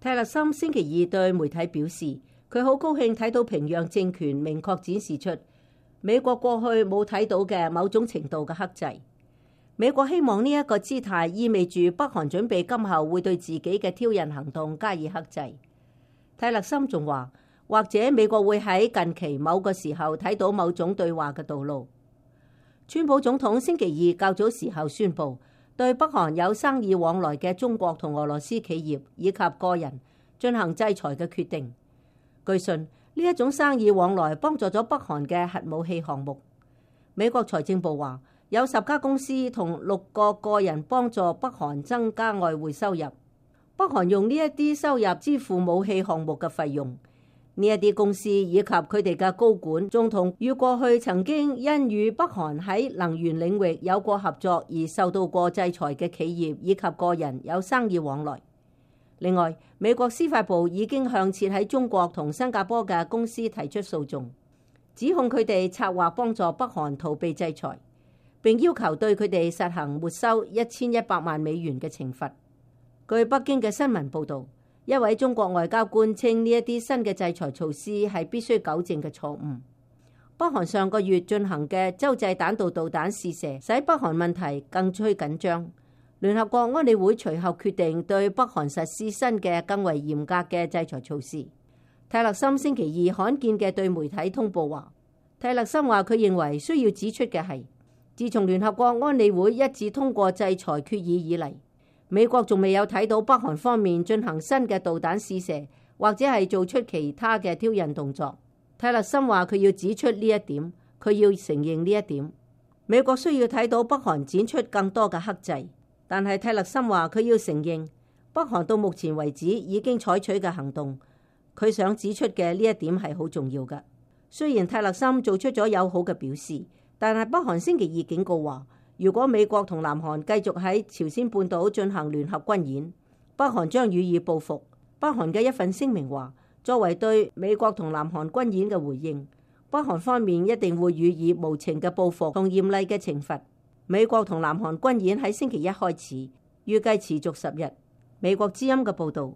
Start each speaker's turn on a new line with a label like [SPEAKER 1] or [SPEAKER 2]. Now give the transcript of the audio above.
[SPEAKER 1] 泰勒森星期二對媒體表示，佢好高興睇到平壤政權明確展示出美國過去冇睇到嘅某種程度嘅克制。美國希望呢一個姿態意味住北韓準備今後會對自己嘅挑釁行動加以克制。泰勒森仲話，或者美國會喺近期某個時候睇到某種對話嘅道路。川普總統星期二較早時候宣布，對北韓有生意往來嘅中國同俄羅斯企業以及個人進行制裁嘅決定。據信呢一種生意往來幫助咗北韓嘅核武器項目。美國財政部話，有10家公司同6個個人幫助北韓增加外匯收入。北韓用呢一啲收入支付武器項目嘅費用。呢一啲公司以及佢哋嘅高管，仲同與過去曾經因與北韓喺能源領域有過合作而受到過制裁嘅企業以及個人有生意往來。另外，美國司法部已經向設喺中國同新加坡嘅公司提出訴訟，指控佢哋策劃幫助北韓逃避制裁，並要求對佢哋實行沒收1100萬美元嘅懲罰。據北京嘅新聞報導，一位中國外交官稱呢一啲新嘅制裁措施係必須糾正嘅錯誤。北韓上個月進行嘅洲際彈道導彈試射，使北韓問題更趨緊張。聯合國安理會隨後決定對北韓實施新嘅更為嚴格嘅制裁措施。泰勒森星期二罕見嘅對媒體通報話，泰勒森話佢認為需要指出嘅係，自從聯合國安理會一致通過制裁決議以嚟，美國仲未有睇到北韓方面進行新嘅導彈試射，或者係做出其他嘅挑釁動作。泰勒森話佢要指出呢一點，佢要承認呢一點。美國需要睇到北韓展出更多嘅克制，但係泰勒森話佢要承認北韓到目前為止已經採取嘅行動，佢想指出嘅呢一點係好重要嘅。雖然泰勒森做出咗友好嘅表示，但係北韓星期二警告話，如果美國同南韓繼續喺朝鮮半島進行聯合軍演，北韓將予以報復。北韓嘅一份聲明話，作為對美國同南韓軍演嘅回應，北韓方面一定會予以無情嘅報復同嚴厲嘅懲罰。美國同南韓軍演喺星期一開始，預計持續10日。美國之音嘅報導。